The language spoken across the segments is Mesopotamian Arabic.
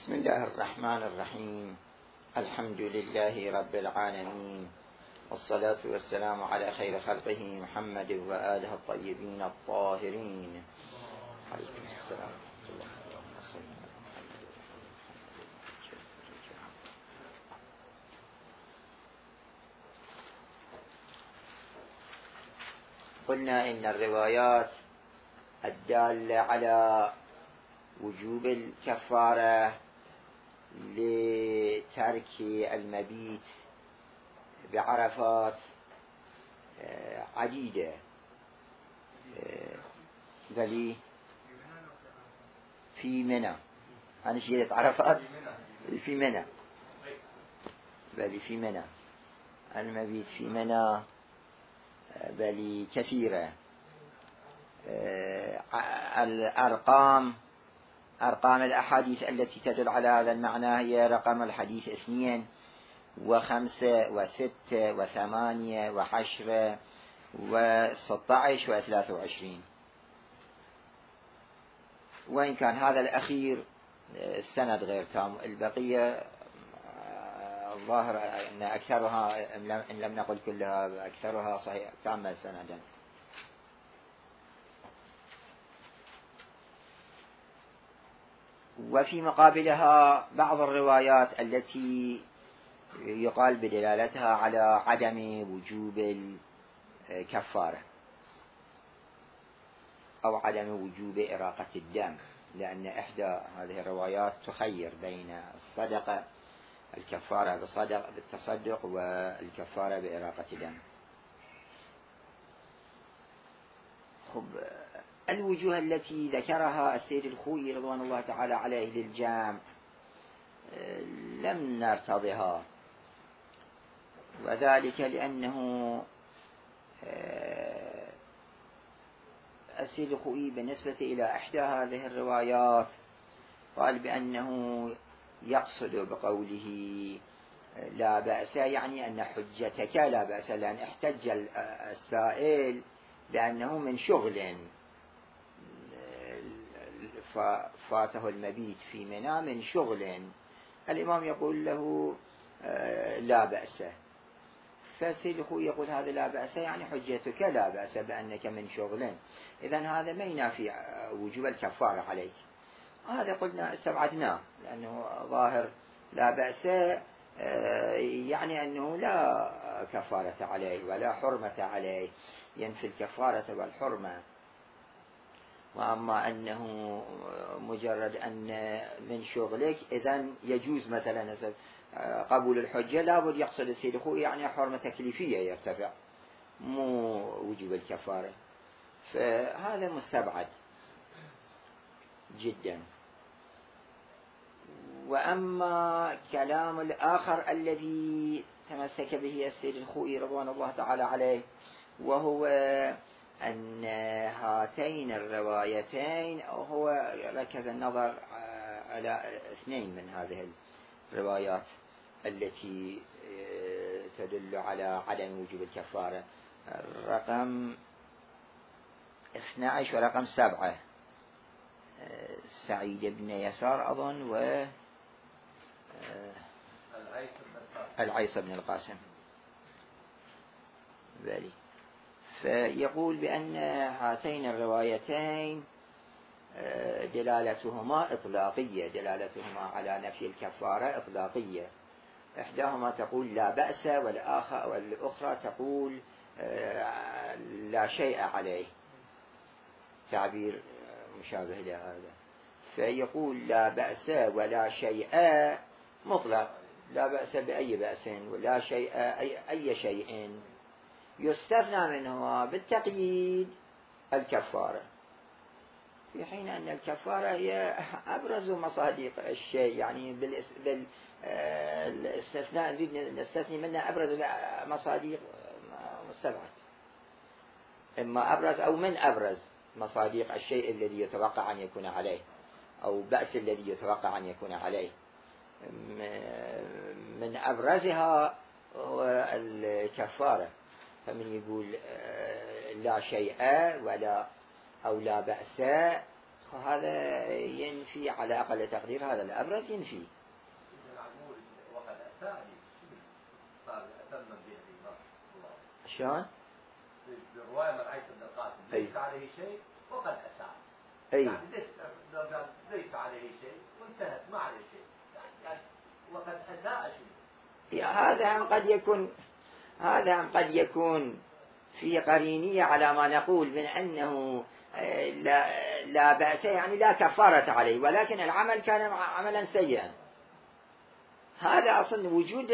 بسم الله الرحمن الرحيم. الحمد لله رب العالمين، والصلاة والسلام على خير خلقه محمد وآله الطيبين الطاهرين. عليكم السلام ورحمة الله وبركاته. قلنا إن الروايات الدالة على وجوب الكفارة لترك المبيت بعرفات عديدة، بل في منى. أنا شيلت عرفات في منى، بل في منى المبيت في منى بل كثيرة. أرقام الأحاديث التي تدل على هذا المعنى هي رقم الحديث 2 و5 و6 و8 و10 و16 و23، وإن كان هذا الأخير السند غير تام. البقية الظاهر أن أكثرها إن لم نقل كلها أكثرها صحيح تامة سندا. وفي مقابلها بعض الروايات التي يقال بدلالتها على عدم وجوب الكفارة أو عدم وجوب إراقة الدم، لأن إحدى هذه الروايات تخير بين الصدقة الكفارة بالتصدق والكفارة بإراقة الدم. الوجوه التي ذكرها السيد الخوئي رضوان الله تعالى عليه للجامع لم نرتضها، وذلك لأنه السيد الخوئي بالنسبة إلى إحدى هذه الروايات قال بأنه يقصد بقوله لا بأس يعني أن حجتك لا بأس، لأن احتج السائل بأنه من شغل فاته المبيت في منى من شغل، الإمام يقول له لا بأس، فالسيد الخوئي يقول هذا لا بأس يعني حجتك لا بأس بأنك من شغل، إذن هذا ما ينافي وجوب الكفارة عليك. هذا قلنا استبعدناه، لأنه ظاهر لا بأس يعني أنه لا كفارة عليه ولا حرمة عليه، ينفي الكفارة والحرمة. وأما أنه مجرد أن من شغلك إذن يجوز مثلا قبول الحجة، لابد يقصد السيد الخوئي يعني حرمة تكليفية يرتفع، مو وجوب الكفارة، فهذا مستبعد جدا. وأما كلام الآخر الذي تمسك به السيد الخوئي رضوان الله تعالى عليه، وهو أن هاتين الروايتين، هو ركز النظر على 2 من هذه الروايات التي تدل على عدم وجوب الكفارة، رقم 12 ورقم 7، سعيد بن يسار أظن و العيسى بن القاسم بالي. فيقول بأن هاتين الروايتين دلالتهما إطلاقية، دلالتهما على نفي الكفارة إطلاقية، إحداهما تقول لا بأس والأخرى تقول لا شيء عليه، تعبير مشابه لهذا. فيقول لا بأس ولا شيء مطلق، لا بأس بأي بأس ولا شيء أي شيء، يستثنى منهما بالتقييد الكفارة، في حين أن الكفارة هي أبرز مصادق الشيء، يعني بالاستثناء نريد نستثني منها أبرز مصادق مستبعد، إما أبرز أو من أبرز مصادق الشيء الذي يتوقع أن يكون عليه أو بأس الذي يتوقع أن يكون عليه. من أبرزها هو الكفارة، فمن يقول لا شيء ولا أو لا بأس هذا ينفي على أقل تقدير، هذا الأبرز ينفي. شلون؟ بالرواية من عيسى بن القاسم ليس عليه شيء وقد أساء. يعني ليس عليه شيء وانتهت ما عليه شيء، يعني وقد أساء شيء. هذا قد يكون في قرينية على ما نقول من أنه لا بأس، يعني لا كفارة عليه، ولكن العمل كان عملا سيئا. هذا أصلا وجود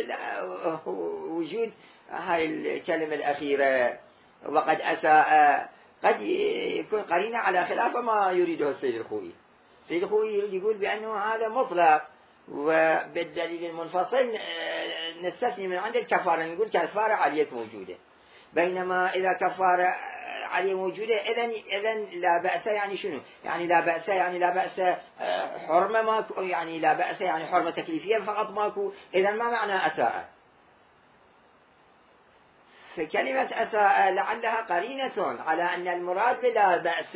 هاي الكلمة الأخيرة وقد أساء قد يكون قرينة على خلاف ما يريده السيد الخوئي. السيد الخوئي يقول بأنه هذا مطلق، وبالدليل المنفصل نستثني من عند الكفارة، نقول كفارة عليك موجودة. بينما إذا كفارة عليه موجودة إذن لا بأس، يعني شنو؟ يعني لا بأس يعني لا بأس حرمة ماكو، يعني لا بأس يعني حرمة تكليفية فقط ماكو. إذن ما معنى أساء؟ فكلمة أساء لعلها قرينة على أن المراد بلا بأس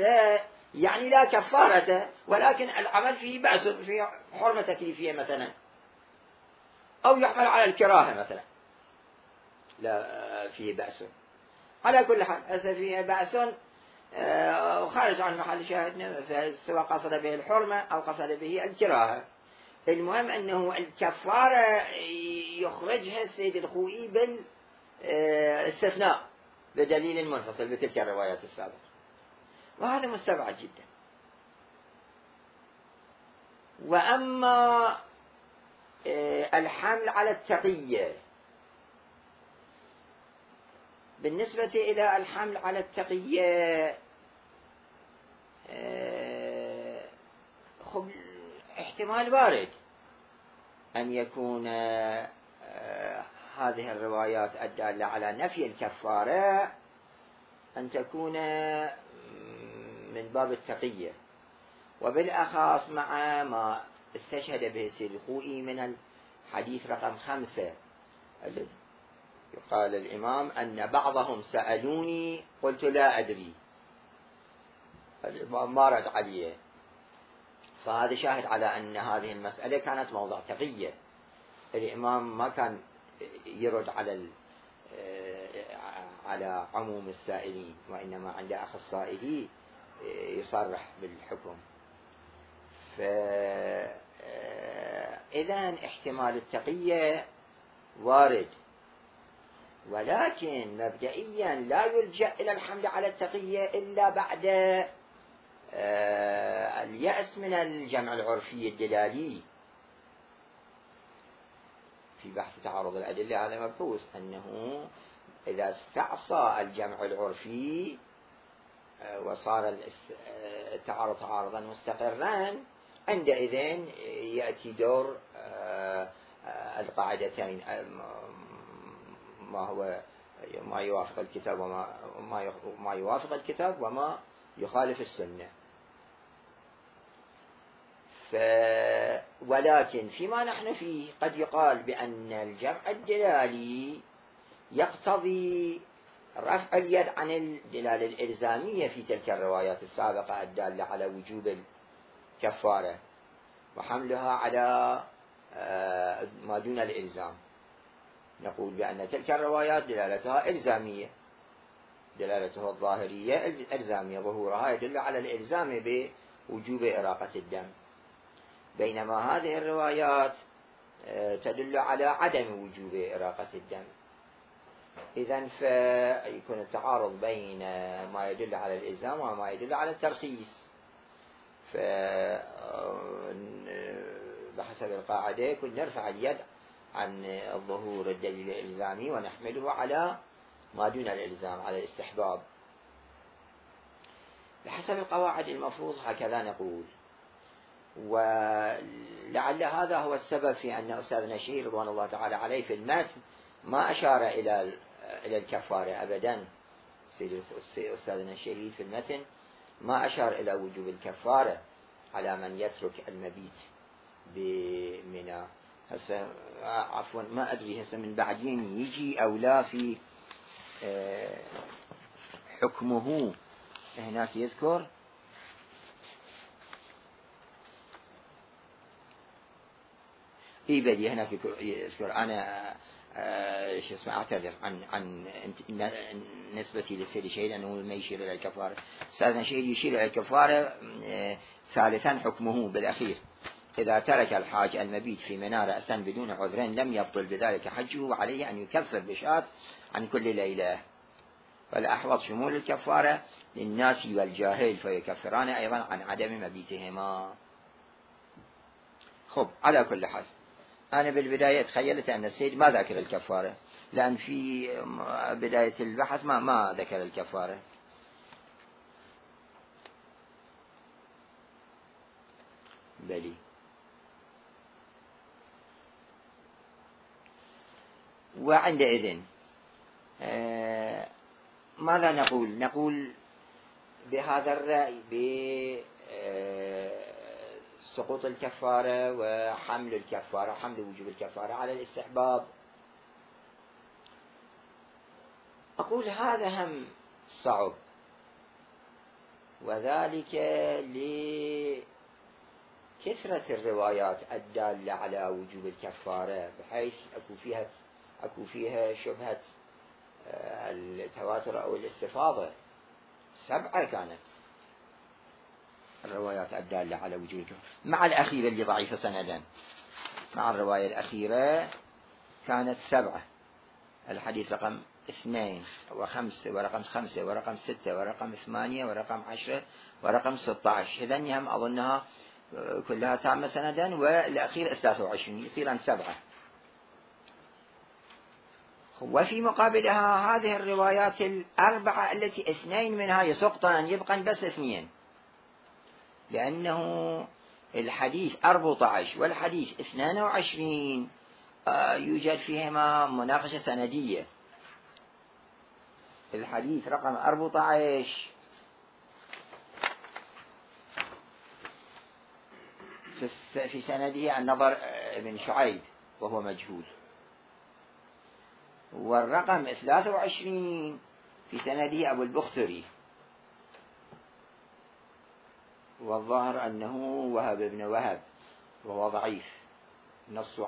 يعني لا كفارة، ولكن العمل فيه بأس، فيه حرمة تكليفية مثلا، أو يحمل على الكراهة مثلا لا فيه بأس. على كل حال فيه بأس خارج عن محل شاهدنا، سواء قصد به الحرمة أو قصد به الكراهة. المهم أنه الكفارة يخرجها السيد الخوئي بالاستثناء بدليل منفصل بتلك الروايات السابقة، وهذا مستبعد جدا. وأما الحمل على التقية، بالنسبة إلى الحمل على التقية احتمال وارد أن يكون هذه الروايات الدالة على نفي الكفارة أن تكون من باب التقية، وبالأخص مع ما استشهد به السيد الخوئي من الحديث رقم 5 الذي قال الإمام أن بعضهم سألوني قلت لا أدري، ما رد عليه. فهذا شاهد على أن هذه المسألة كانت موضع تقية. الإمام ما كان يرد على عموم السائلين، وإنما عند أخصائه يصرح بالحكم. فإذن احتمال التقية وارد، ولكن مبدئيا لا يلجأ إلى الحمل على التقية إلا بعد اليأس من الجمع العرفي الدلالي. في بحث تعارض الأدلة هذا مبحوث أنه إذا استعصى الجمع العرفي وصار التعارض تعارضا مستقرا، عندئذ يأتي دور القاعدتين، ما يوافق الكتاب وما يوافق الكتاب وما يخالف السنة. ولكن فيما نحن فيه قد يقال بأن الجمع الدلالي يقتضي رفع اليد عن الدلالة الإلزامية في تلك الروايات السابقة الدالة على وجوب الكفارة، وحملها على ما دون الإلزام. نقول بأن تلك الروايات دلالتها إلزامية، دلالتها الظاهرية إلزامية، ظهورها يدل على الإلزام بوجوب إراقة الدم، بينما هذه الروايات تدل على عدم وجوب إراقة الدم. إذن فيكون التعارض بين ما يدل على الإلزام وما يدل على الترخيص. بحسب القاعدة يكون نرفع اليد عن الظهور الدليل الإلزامي ونحمله على ما دون الإلزام، على الاستحباب. بحسب القواعد المفروض هكذا نقول. ولعل هذا هو السبب في أن أستاذنا الشهير رضوان الله تعالى عليه في المتن ما أشار إلى الكفارة أبدا. أستاذنا الشهير في المتن ما أشار إلى وجوب الكفارة على من يترك المبيت بمنى. هسه عفوا ما أدري هسه من بعدين يجي أو لا في حكمه هناك يذكر اي بدي هناك يذكر انا شو اسمه اعتذر عن نسبتي للسيد شهيد انه ما يشير الى الكفاره. استاذنا شهيد يشير الى الكفاره. ثالثا حكمه بالاخير اذا ترك الحاج المبيت في منى رأسا بدون عذرين لم يبطل بذلك حجه وعليه ان يكفر بشاة عن كل ليله. والأحوط شمول الكفارة للناس والجاهل فيكفران أيضا عن عدم مبيتهما. خب على كل حال أنا بالبداية تخيلت أن السيد ما ذكر الكفارة لأن في بداية البحث ما ذكر الكفارة. بلي وعندئذ ماذا نقول بهذا الرأي بسقوط الكفارة وحمل الكفارة، حمل وجوب الكفارة على الاستحباب؟ أقول هذا هم صعب، وذلك لكثرة الروايات الدالة على وجوب الكفارة بحيث أكو فيها شبهة التواتر أو الاستفاضة. 7 كانت الروايات الدالة على وجوب الكفارة مع الأخيرة اللي ضعيفة سندا. مع الرواية الأخيرة كانت 7، الحديث رقم 2 و5 ورقم 5 ورقم 6 ورقم 8 ورقم 10 ورقم 16. إذن هم أظنها كلها تامة سندا، والأخير 23 يصير 7. وفي مقابلها هذه الروايات 4 التي 2 منها يسقطان يبقى بس 2، لأنه الحديث 14 والحديث 22 يوجد فيهما مناقشة سندية. الحديث رقم 14 في سنده النضر بن شعيب وهو مجهول، والرقم 23 في سنده أبو البختري، والظاهر أنه وهب بن وهب وهو ضعيف، نص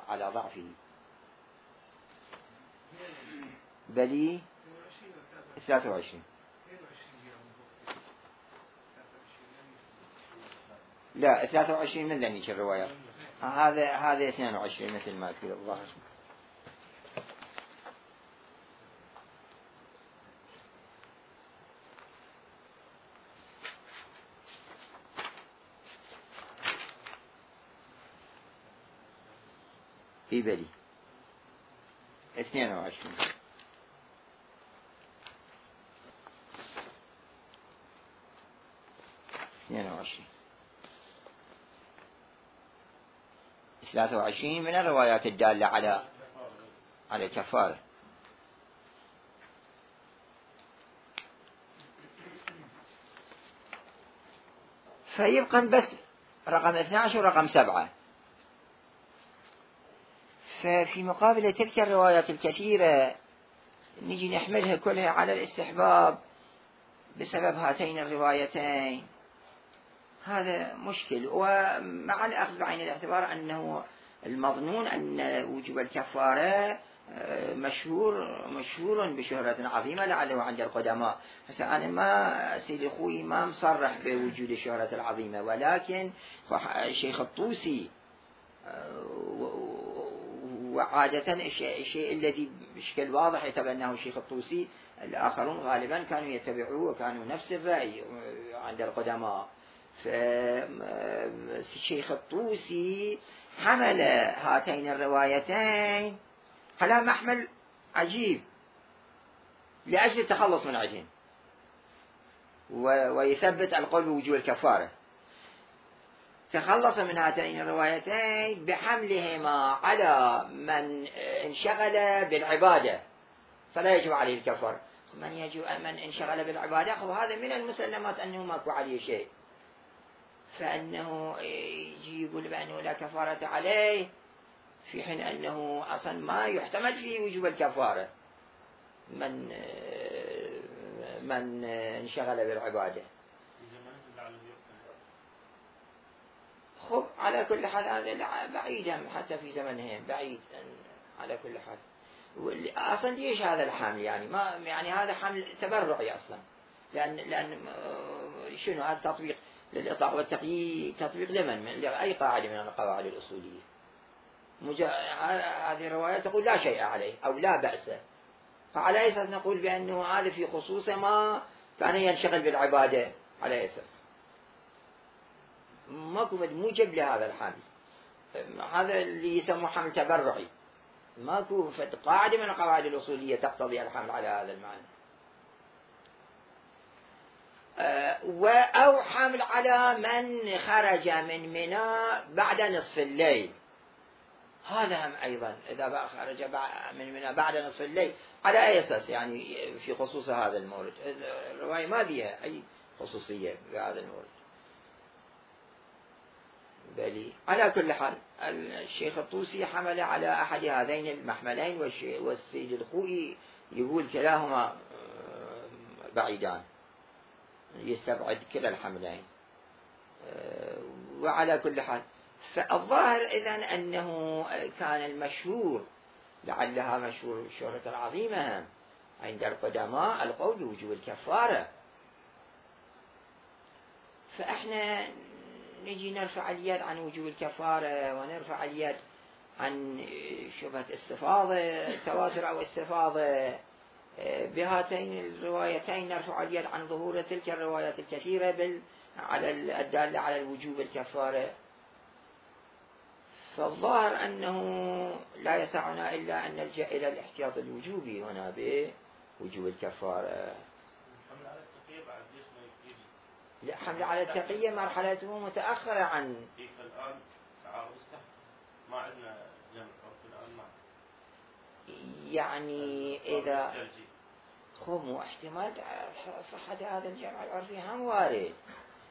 على ضعفه. بلي 23 لا 23 من ذنيك الروايات. هذا 22 مثل ما تقول الظاهر. في بلي 22 23 من الروايات الدالة على الكفارة. فيبقى بس رقم 12 ورقم 7. ففي مقابل تلك الروايات الكثيرة نجي نحملها كلها على الاستحباب بسبب هاتين الروايتين. هذا مشكل. ومع الأخذ بعين الاعتبار أنه المظنون أن وجوب الكفارة مشهور بشهرة عظيمة لعله عند القدماء. هسه أنا ما سيدي أخوي ما مصرح بوجود الشهرة العظيمة، ولكن الشيخ الطوسي وعادة الشيء الذي بشكل واضح يتبناه الشيخ الطوسي الآخرون غالبا كانوا يتبعوه وكانوا نفس الرأي عند القدماء. فالشيخ الطوسي حمل هاتين الروايتين على محمل عجيب لأجل التخلص من عجين ويثبت القول بوجوب الكفارة. تخلص من هاتين الروايتين بحملهما على من انشغل بالعبادة فلا يجب عليه الكفارة. من انشغل بالعبادة هذا من المسلمات أنه ماكو عليه شيء، فأنه يجي يقول بأنه لا كفارة عليه في حين أنه أصلا ما يحتمل فيه وجوب الكفارة من انشغل بالعبادة. خب على كل حال هذا بعيد حتى في زمنهم بعيد على كل حال. اصلا ليش هذا الحمل يعني ما يعني هذا حمل تبرعي اصلا، لان شنو هذا تطبيق للاطلاق والتقييد، تطبيق لمن لاي قاعده من القواعد الاصوليه. هذه الرواية تقول لا شيء عليه أو لا بأس، فعلى أي أساس نقول بأنه هذا في خصوصه ما كان ينشغل بالعبادة؟ على أي أساس؟ ماكو موجب لهذا الحمل، هذا اللي يسموه حمل تبرعي، ماكو قاعدة من القواعد الأصولية تقتضي الحمل على هذا المعنى. أو حمل على من خرج من منى بعد نصف الليل، هذا هم أيضا إذا خرج من منى بعد نصف الليل على أي أساس يعني في خصوص هذا المورد؟ الرواية ما بها أي خصوصية بهذا المورد. بل على كل حال الشيخ الطوسي حمل على أحد هذين المحملين، والسيد الخوئي يقول كلاهما بعيدان، يستبعد كلا الحملين. وعلى كل حال فالظاهر إذن أنه كان المشهور، لعلها مشهور الشهرة العظيمة عند القدماء، القول بوجوب الكفارة. فإحنا نجي نرفع اليد عن وجوب الكفارة، ونرفع اليد عن شبهة استفاضة تواتر أو استفاضة، بهاتين الروايتين نرفع اليد عن ظهور تلك الروايات الكثيرة على الدالة على الوجوب الكفارة. فالظاهر أنه لا يسعنا إلا أن نلجأ إلى الاحتياط الوجوبي هنا بوجوب الكفارة. حمل على التقية بعد ليش ما يجي؟ لا، حمل على التقية مرحلته متأخرة عن الآن تعارض استحق، ما عندنا جمع عرفي الآن ما يعني إذا خموا احتمال صحة هذا الجمع العرفي هم وارد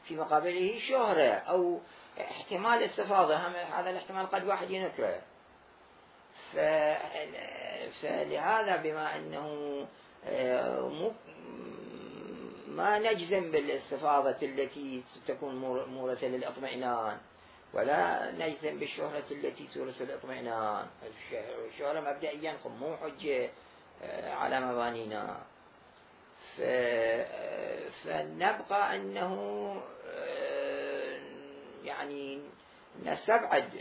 في مقابله شهرة أو احتمال استفاضة، هذا الاحتمال قد واحد ينكره. فلهذا بما أنه ما نجزم بالاستفاضة التي تكون مورثة للإطمئنان، ولا نجزم بالشهرة التي تورث الإطمئنان. الشهرة مبدئيا مو حجة على مبانينا، فنبقى أنه يعني نستبعد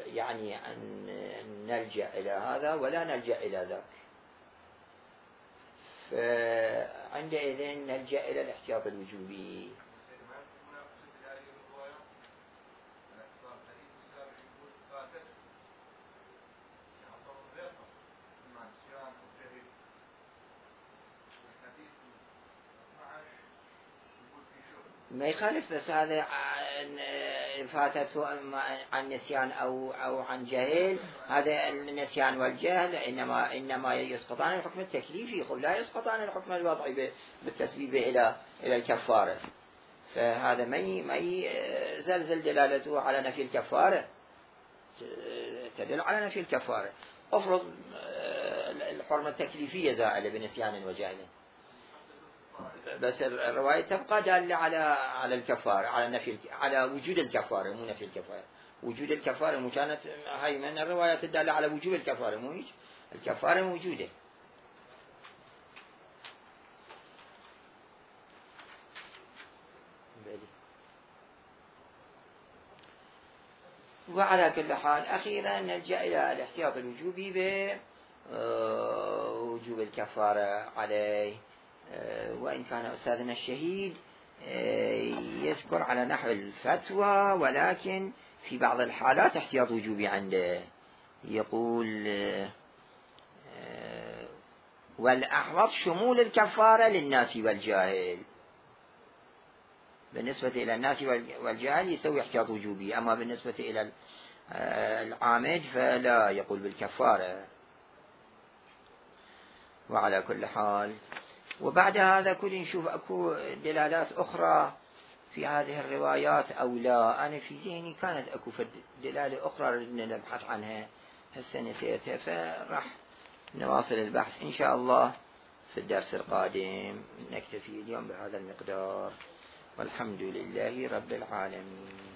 يعني أن نلجأ إلى هذا ولا نلجأ إلى ذاك، فعندئذ نلجأ إلى الاحتياط الوجوبي. ما يخالف، بس هذا فاتته عن نسيان أو عن جهل، هذا النسيان والجهل إنما يسقطان الحكم التكليفي، لا يسقطان الحكم الوضعي بالتسبيب إلى الكفارة. فهذا ما يزلزل دلالته على نفي الكفارة، تدل على نفي الكفارة. أفرض الحرمة التكليفية زائلة بنسيان وجهل، بس الرواية تبقى دالة على الكفارة، على نفي، على وجود الكفارة، مو نفي الكفارة. وجود الكفارة مو كانت هاي من الروايات الدالة على وجود الكفارة، مو هيك؟ الكفارة موجودة. وعلى كل حال أخيرا نلجأ إلى الاحتياط الوجوبي بوجوب الكفارة عليه. وإن كان أستاذنا الشهيد يذكر على نحو الفتوى، ولكن في بعض الحالات احتياط وجوبي عنده. يقول والأحوط شمول الكفارة للناس والجاهل. بالنسبة إلى الناس والجاهل يسوي احتياط وجوبي، أما بالنسبة إلى العامد فلا، يقول بالكفارة. وعلى كل حال وبعد هذا كل نشوف أكو دلالات أخرى في هذه الروايات أو لا. أنا في ذهني كانت أكو دلالة أخرى ردنا نبحث عنها، هسه نسيتها، فراح نواصل البحث إن شاء الله في الدرس القادم. نكتفي اليوم بهذا المقدار، والحمد لله رب العالمين.